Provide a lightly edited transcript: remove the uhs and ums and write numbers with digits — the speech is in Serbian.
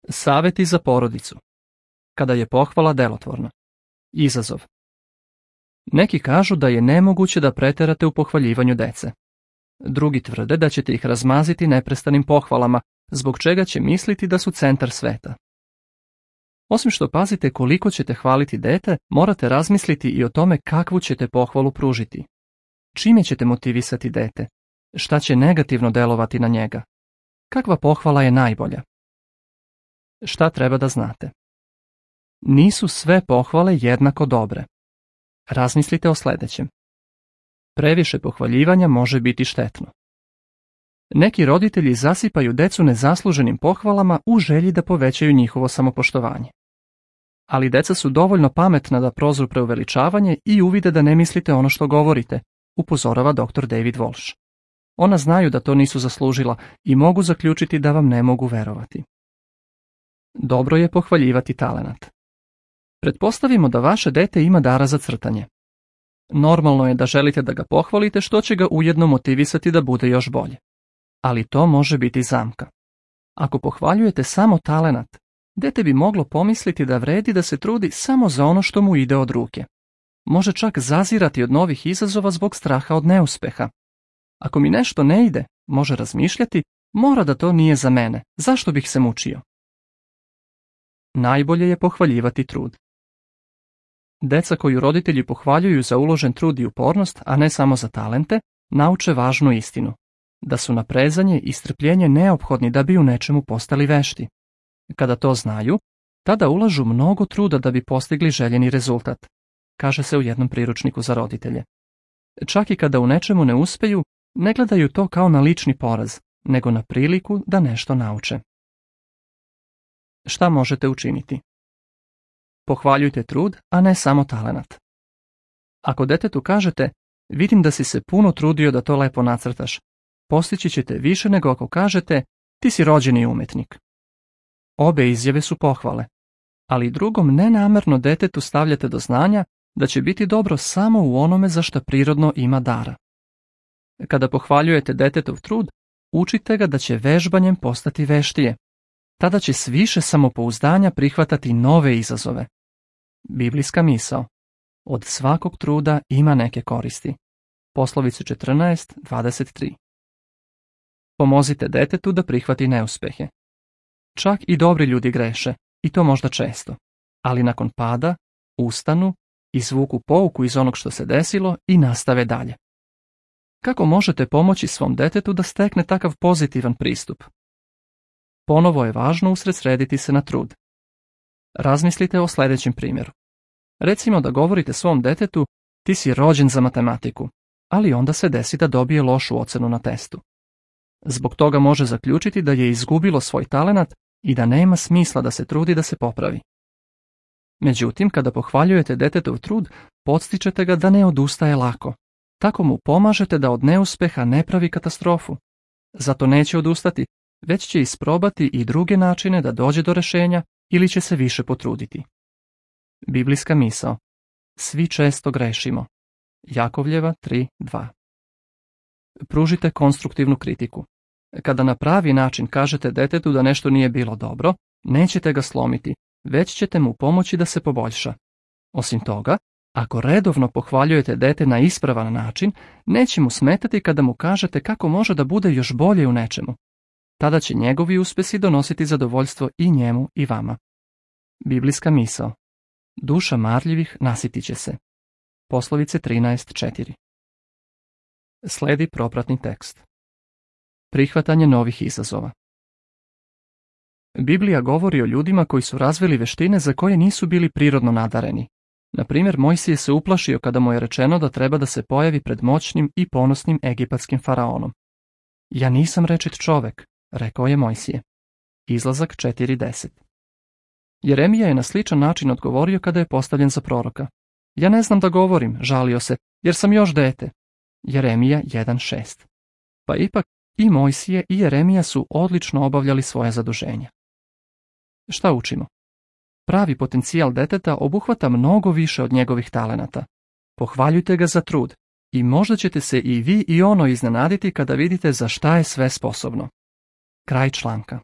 Saveti za porodicu. Kada je pohvala delotvorna. Izazov. Neki kažu da je nemoguće da preterate u pohvaljivanju dece. Drugi tvrde da ćete ih razmaziti neprestanim pohvalama, zbog čega će misliti da su centar sveta. Osim što pazite koliko ćete hvaliti dete, morate razmisliti i o tome kakvu ćete pohvalu pružiti. Čime ćete motivisati dete? Šta će negativno delovati na njega? Kakva pohvala je najbolja? Šta treba da znate? Nisu sve pohvale jednako dobre. Razmislite o sljedećem. Previše pohvaljivanja može biti štetno. Neki roditelji zasipaju decu nezasluženim pohvalama u želji da povećaju njihovo samopoštovanje. Ali deca su dovoljno pametna da prozru preuveličavanje i uvide da ne mislite ono što govorite, upozorava dr. David Walsh. Ona znaju da to nisu zaslužila i mogu zaključiti da vam ne mogu verovati. Dobro je pohvaljivati talenat. Pretpostavimo da vaše dete ima dara za crtanje. Normalno je da želite da ga pohvalite, što će ga ujedno motivisati da bude još bolje. Ali to može biti zamka. Ako pohvaljujete samo talenat, dete bi moglo pomisliti da vredi da se trudi samo za ono što mu ide od ruke. Može čak zazirati od novih izazova zbog straha od neuspeha. Ako mi nešto ne ide, može razmišljati, mora da to nije za mene, zašto bih se mučio? Najbolje je pohvaljivati trud. Deca koju roditelji pohvaljuju za uložen trud i upornost, a ne samo za talente, nauče važnu istinu. Da su naprezanje i strpljenje neophodni da bi u nečemu postali vešti. Kada to znaju, tada ulažu mnogo truda da bi postigli željeni rezultat, kaže se u jednom priručniku za roditelje. Čak i kada u nečemu ne uspeju, ne gledaju to kao na lični poraz, nego na priliku da nešto nauče. Šta možete učiniti? Pohvaljujte trud, a ne samo talenat. Ako detetu kažete, vidim da si se puno trudio da to lepo nacrtaš, postići ćete više nego ako kažete, ti si rođeni umetnik. Obe izjave su pohvale, ali drugom nenamerno detetu stavljate do znanja da će biti dobro samo u onome za što prirodno ima dara. Kada pohvaljujete detetov trud, učite ga da će vežbanjem postati veštije. Tada će s više samopouzdanja prihvatati nove izazove. Biblijska misao. Od svakog truda ima neke koristi. Poslovice 14:23. Pomozite detetu da prihvati neuspehe. Čak i dobri ljudi greše, i to možda često, ali nakon pada ustanu, izvuku pouku iz onog što se desilo i nastave dalje. Kako možete pomoći svom detetu da stekne takav pozitivan pristup? Ponovo je važno usredsrediti se na trud. Razmislite o sljedećem primjeru. Recimo da govorite svom detetu, ti si rođen za matematiku, ali onda se desi da dobije lošu ocenu na testu. Zbog toga može zaključiti da je izgubilo svoj talenat i da nema smisla da se trudi da se popravi. Međutim, kada pohvaljujete detetov trud, podstičete ga da ne odustaje lako. Tako mu pomažete da od neuspeha ne pravi katastrofu. Zato neće odustati, već će isprobati i druge načine da dođe do rješenja ili će se više potruditi. Biblijska misao. Svi često grešimo. Jakovljeva 3:2. Pružite konstruktivnu kritiku. Kada na pravi način kažete detetu da nešto nije bilo dobro, nećete ga slomiti, već ćete mu pomoći da se poboljša. Osim toga, ako redovno pohvaljujete dete na ispravan način, neće mu smetati kada mu kažete kako može da bude još bolje u nečemu. Tada će njegovi uspjesi donositi zadovoljstvo i njemu i vama. Biblijska misao. Duša marljivih nasitit će se. Poslovice 13:4. Sledi propratni tekst. Prihvatanje novih izazova. Biblija govori o ljudima koji su razvili veštine za koje nisu bili prirodno nadareni. Na primjer, Mojsije se uplašio kada mu je rečeno da treba da se pojavi pred moćnim i ponosnim egipatskim faraonom. Ja nisam rečit čovek, rekao je Mojsije. Izlazak 4:10. Jeremija je na sličan način odgovorio kada je postavljen za proroka. Ja ne znam da govorim, žalio se, jer sam još dete. Jeremija 1:6. Pa ipak i Mojsije i Jeremija su odlično obavljali svoje zaduženja. Šta učimo? Pravi potencijal deteta obuhvata mnogo više od njegovih talenata. Pohvaljujte ga za trud i možda ćete se i vi i ono iznenaditi kada vidite za šta je sve sposobno. Kraj članka.